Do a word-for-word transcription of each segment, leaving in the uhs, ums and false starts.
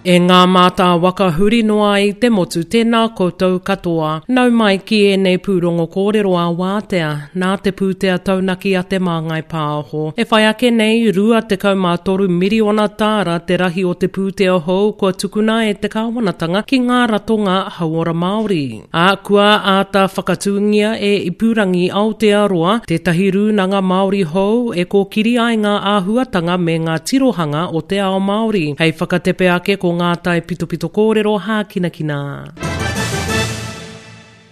E ngā mātā waka huri noa i te motu, tēnā koutou katoa. Nau mai ki ēnei pūrongo kōrero a wātea, nā te pūtea taunaki a Te Māngai Pāho. E whai ake nei, rua tekau mā toru miriona tāra te rahi o te pūtea hou kua tukuna e te kāwanatanga ki ngā ratonga hauora Māori. Ā, kua āta whakatūngia e Ipurangi Aotearoa tētahi rūnanga Māori hou e kōkiri ai ngā āhuatanga me ngā tirohanga o te ao Māori. Hei whakatepe ake ko ngā taipitopito kōrero hākinakina.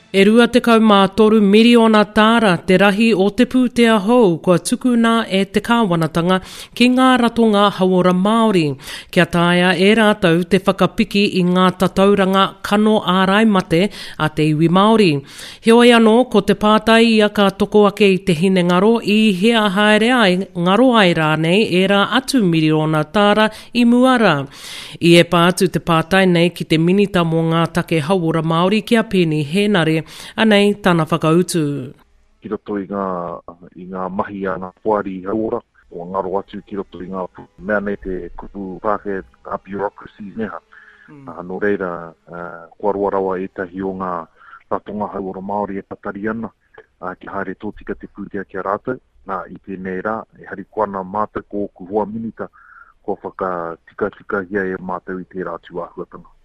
E rua tekau mā toru miriona tāra te rahi o te pūtea hou kua tukuna e te kāwanatanga ki ngā ratonga hauora Māori, kia taea e rātou te whakapiki i ngā tatauranga kano ārai mate a te iwi Māori. Heoi anō, ko te pātai ia ka toko ake i te hinengaro i hea haere ai, ngaro ai rānei ērā atu miriona tāra i mua rā. I epa atu te pātai nei ki te Minita mō ngā take hauora Māori ki a Peeni Hēnare, anei tana whakautu. Ki roto i ngā, i ngā mahi a ngā poari hauora, kua ngaro atu ki roto i ngā mea nei te kupu Pākehā, ngā bureaucracies neha. Mm. Uh, nō reira, uh, kua roa rawa ētahi o ngā ratonga hauora Māori e tatari ana, uh, kia haere tōtika te pūtea ki a rātou. Nā, i tēnei rā, e harikoa ana mātou ko ōku hoa minita, kua whakatikatikahia e mātou i tērā tūāhuatanga.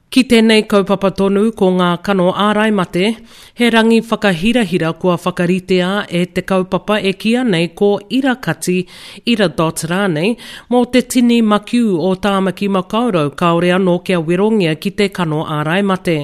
Ki tēnei kaupapa tonu ko ngā kano ārai mate, he rangi whakahirahira kua whakaritea e te kaupapa e kīia nei ko Irakati, Ira Dot rānei, mō te tini makiu o Tāmaki Makaurau kāore anō kia werongia ki te kano ārai mate.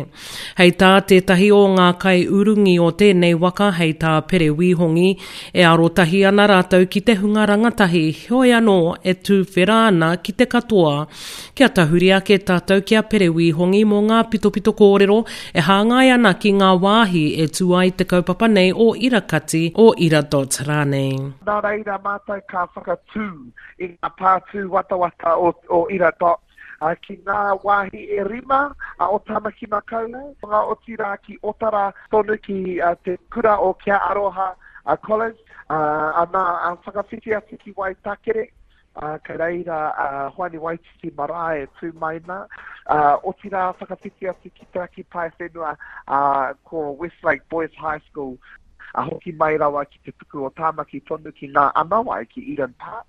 Hei tā tētahi o ngā kaiurungi o tēnei waka hei tā Pere Wīhongi, e arotahi ana rātou ki te hunga rangatahi, heoi anō e tūwhera ana ki te katoa. Kia tahuri ake tātou ki a Pere Wīhongi mō ngā pitopito kōrero e hāngai ana ki ngā wāhi e tū ai te kaupapa nei o Irakati, o Ira Dot rānei. Nā reira mātou ka whakatū i ngā pātū watawata o, o Ira Dot ki ngā wāhi e rima o Tāmaki Makaurau, ngā otirā ki Otara tonu ki te kura o Kia Aroha College, ana whakawhiti atu ki Waitakere, kei reira a Hoani Waititi marae e tū mai nā, otirā whakawhiti atu ki Te Raki Paewhenua, ko Westlake Boys High School, hoki mai rawa ki te puku o Tāmaki tonu ki ngā anawai ki Eden Park.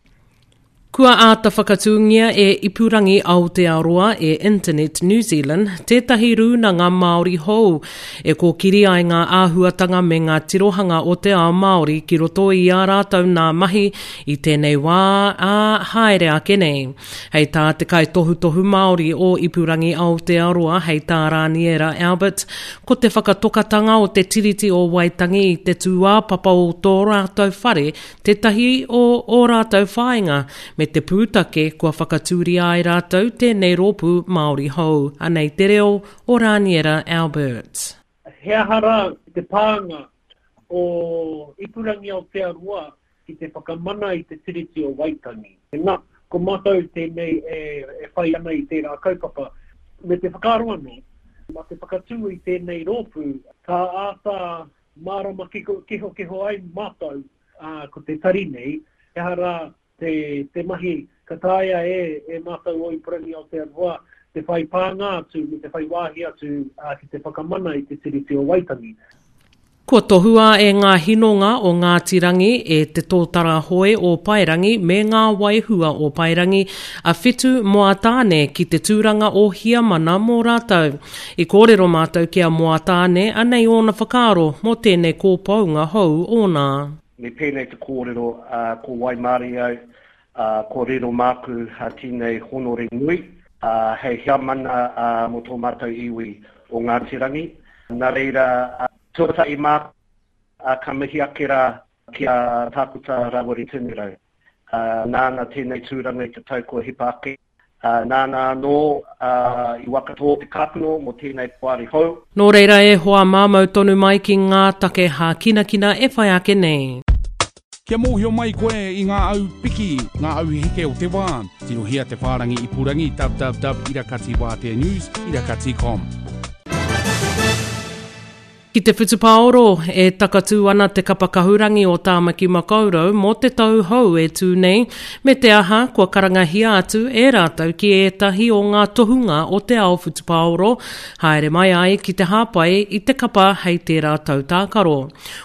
Kua āta whakatūngia e Ipurangi Aotearoa e Internet New Zealand tētahi rūnanga Māori hou e kōkiri ai ngā āhuatanga me ngā tirohanga o te ao Māori ki roto i ā rātou nā mahi i tēnei wā, ā, haere ake nei. Hei tā te kaitohutohu Māori o Ipurangi Aotearoa hei tā Rāniera Albert, ko te whakatokatanga o te Tiriti o Waitangi i te tūāpapa o tō rātou whare tētahi o ō rātou whāinga me te pūtake kua whakatūria ai rātou tēnei rōpū Māori hou. Anei te reo o Rāniera Albert. He aha rā te pānga o Ipurangi Aotearoa ki te whakamana i te Tiriti o Waitangi? Nā, ko mātou tēnei e, e whai ana i tērā kaupapa. Me te whakaaro anō, mā te whakatū i tēnei rōpū, ka āta mārama kehokeho ai mātou, ā, ko te tari nei, he aha rā te, te mahi ka taea e, e mātou o Ipurangi Aotearoa te whai pānga atu me te whai wāhi atu ā, ki te whakamana i te Tiriti o Waitangi. Kua tohua e ngā hinonga o Ngāti Rangi, e Te Tōtara Hoe o Paerangi me ngā Waihua o Paerangi a Whitu Moatāne ki te tūranga o Hiamana mō rātou. I kōrero mātou ki a Moatāne, anei ōna whakaaro mō tēnei kōpounga hou ōna. Me pēnei te kōrero, ā, ko waimarie au, ā, kua riro māku tēnei honore nui, ā, hei heamana, ā, mō tō mātou iwi o Ngāti Rangi. Nā reira, ā, tuatahi māku, ā, ka mihi ake rā ki a Tākuta Rawiri Tinirau, ā, nāna tēnei tūranga i te tau kua hipa ake. Ā, nāna anō, ā, i whakatō te kākano mō tēnei poari hou. Nō reira e hoa mā mau tonu mai ki ngā take hākinakina e whai ake nei. Kia mōhio mai koe i ngā au piki, ngā au heke o te wā, tirohia te whārangi ipurangi www irakati wātea news irakati com. Ki te whutupaoro, e takatū ana te kapa kahurangi o Tāmaki Makaurau mō te tau hou e tū nei, me te aha kua karangahia atu e rātou ki ētahi o ngā tohunga o te ao whutupaoro, haere mai ai ki te hāpai i te kapa hei tērā tau tākaro.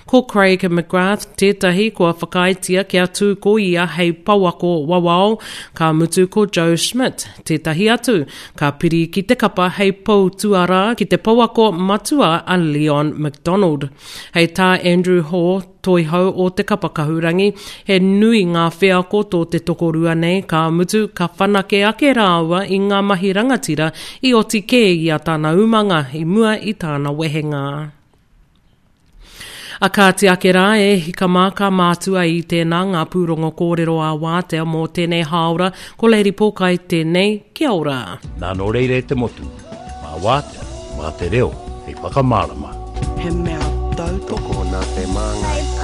Ko Craig McGrath tētahi kua whakaaetia kia tū ko ia hei pouako wawao, ka mutu ko Joe Schmidt tētahi atu, ka piri ki te kapa hei pou tuarā ki te pouako matua a Leon McDonald. Hei tā Andrew Hore, toihau o te kapa kahurangi, he nui ngā wheako tō te tokorua nei, ka mutu, ka whanake ake rāua i ngā mahi rangatira i oti kē i a tāna umanga i mua i tāna wehenga. A kāti ake rā e hika mā ka mātua i tēnā ngā pūrongo kōrero a wātea mō tēnei hāora, ko Lady Pōkai tēnei, kia ora. Nā nō reira e te motu, mā wātea, mā te reo, hei whakamārama. He mea tautoko nā te Māngai.